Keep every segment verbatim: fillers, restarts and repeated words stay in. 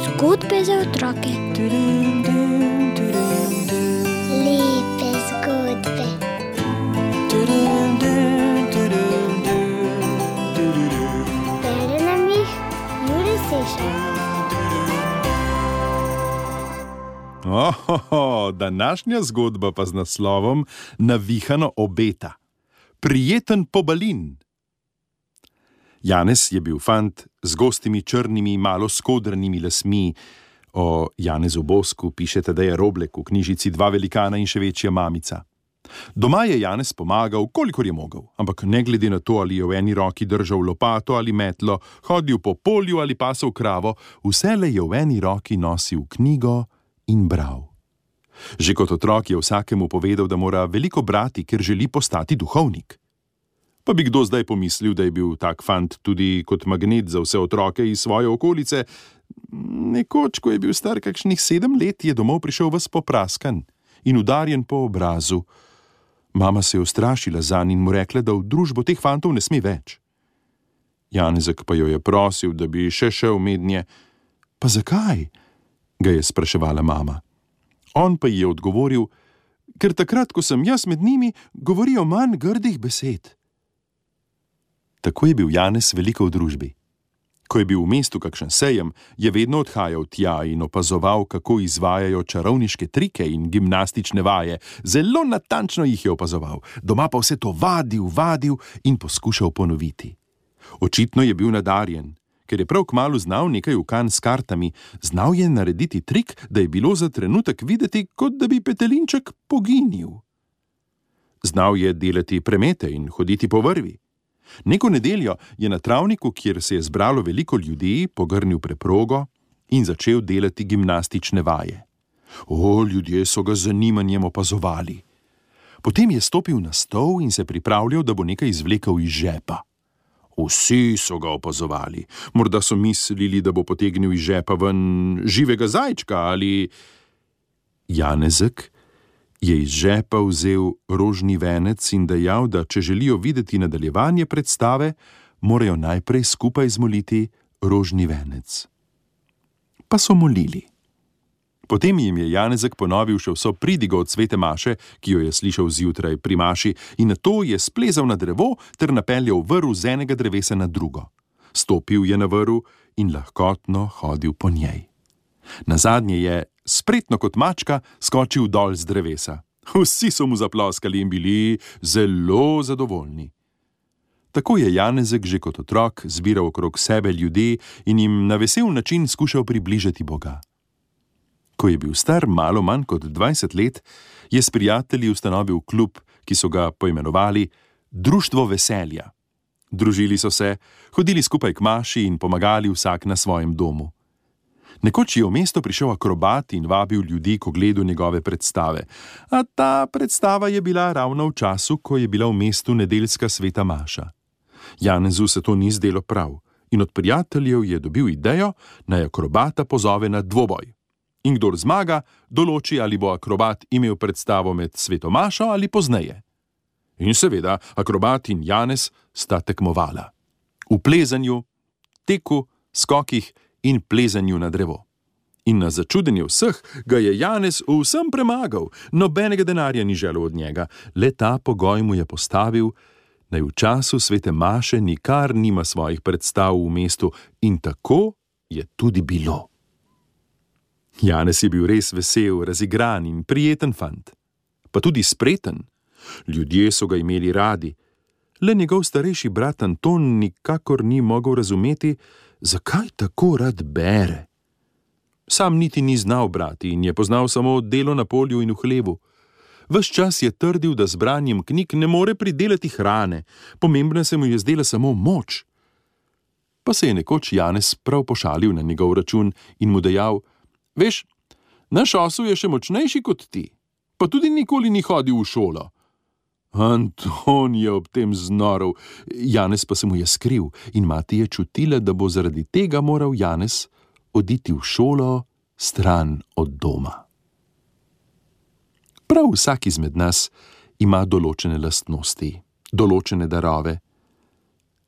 Zgodbe za otroke. Lepe zgodbe. Bere nam jih Jure Sešar. Ohoho, današnja zgodba pa z naslovom Navihano obeta. Prijeten pobalin. Janez je bil fant z gostimi črnimi, malo skodranimi lasmi. O Janezu Bosku pišete, da je Roblek v knjižici Dva velikana in še večja mamica. Doma je Janez pomagal, kolikor je mogel, ampak ne glede na to, ali je v eni roki držal lopato ali metlo, hodil po polju ali pasel kravo, vselej je v eni roki nosil knjigo in bral. Že kot otrok je vsakemu povedal, da mora veliko brati, ker želi postati duhovnik. Pa bi kdo zdaj pomislil, da je bil tak fant tudi kot magnet za vse otroke iz svoje okolice. Nekoč, ko je bil star kakšnih sedem let, je domov prišel ves popraskan in udarjen po obrazu. Mama se je ustrašila zanj in mu rekla, da v družbo teh fantov ne sme več. Janezek pa jo je prosil, da bi še šel mednje. Pa zakaj? Ga je spraševala mama. On pa ji je odgovoril, ker takrat, ko sem jaz med njimi, govorijo manj grdih besed. Tako je bil Janez veliko v družbi. Ko je bil v mestu kakšen sejem, je vedno odhajal tja in opazoval, kako izvajajo čarovniške trike in gimnastične vaje. Zelo natančno jih je opazoval, doma pa vse to vadil, vadil in poskušal ponoviti. Očitno je bil nadarjen, ker je prav kmalu znal nekaj ukan s kartami, znal je narediti trik, da je bilo za trenutek videti, kot da bi petelinček poginil. Znal je delati premete in hoditi po vrvi. Neko nedeljo je na travniku, kjer se je zbralo veliko ljudi, pogrnil preprogo in začel delati gimnastične vaje. O, ljudje so ga z zanimanjem opazovali. Potem je stopil na stol in se pripravljal, da bo nekaj izvlekel iz žepa. Vsi so ga opazovali. Morda so mislili, da bo potegnil iz žepa ven živega zajčka ali... Janezek je iz žepa vzel rožni venec in dejal, da če želijo videti nadaljevanje predstave, morajo najprej skupaj zmoliti rožni venec. Pa so molili. Potem jim je Janezek ponovil še vso pridigo od svete maše, ki jo je slišal zjutraj pri maši, in nato je splezal na drevo ter napeljal vrv z enega drevesa na drugo. Stopil je na vrv in lahkotno hodil po njej. Nazadnje je, spretno kot mačka, skočil dol z drevesa. Vsi so mu zaploskali in bili zelo zadovoljni. Tako je Janezek že kot otrok zbiral okrog sebe ljudi in jim na vesel način skušal približati Boga. Ko je bil star malo manj kot dvajset let, je s prijatelji ustanovil klub, ki so ga poimenovali Društvo veselja. Družili so se, hodili skupaj k maši in pomagali vsak na svojem domu. Nekoč je v mesto prišel akrobat in vabil ljudi k ogledu njegove predstave, a ta predstava je bila ravno v času, ko je bila v mestu nedeljska sveta maša. Janezu se to ni zdelo prav in od prijateljev je dobil idejo, naj akrobata pozove na dvoboj. In kdor zmaga, določi, ali bo akrobat imel predstavo med sveto mašo ali pozneje. In seveda, akrobat in Janez sta tekmovala. V plezanju, teku, skokih in plezanju na drevo. In na začudenje vseh ga je Janez vsem premagal, nobenega denarja ni želel od njega, le ta pogoj mu je postavil, naj v času svete maše nikar nima svojih predstav v mestu, in tako je tudi bilo. Janez je bil res vesel, razigran in prijeten fant, pa tudi spreten. Ljudje so ga imeli radi, le njegov starejši brat Anton nikakor ni mogel razumeti, zakaj tako rad bere. Sam niti ni znal brati in je poznal samo delo na polju in v hlevu. Ves čas je trdil, da z branjem knjig ne more pridelati hrane, pomembna se mu je zdela samo moč. Pa se je nekoč Janez prav pošalil na njegov račun in mu dejal, veš, naš osu je še močnejši kot ti, pa tudi nikoli ni hodil v šolo. Anton je ob tem znorel, Janez pa se mu je skril in mati je čutila, da bo zaradi tega moral Janez oditi v šolo stran od doma. Prav vsak izmed nas ima določene lastnosti, določene darove.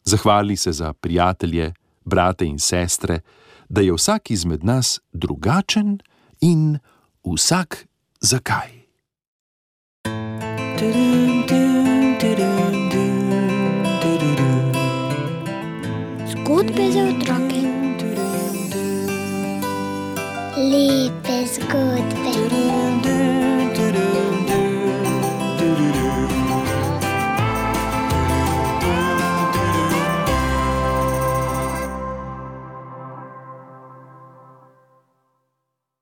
Zahvali se za prijatelje, brate in sestre, da je vsak izmed nas drugačen in vsak zakaj. Zgodbe za otroke. Lepe zgodbe.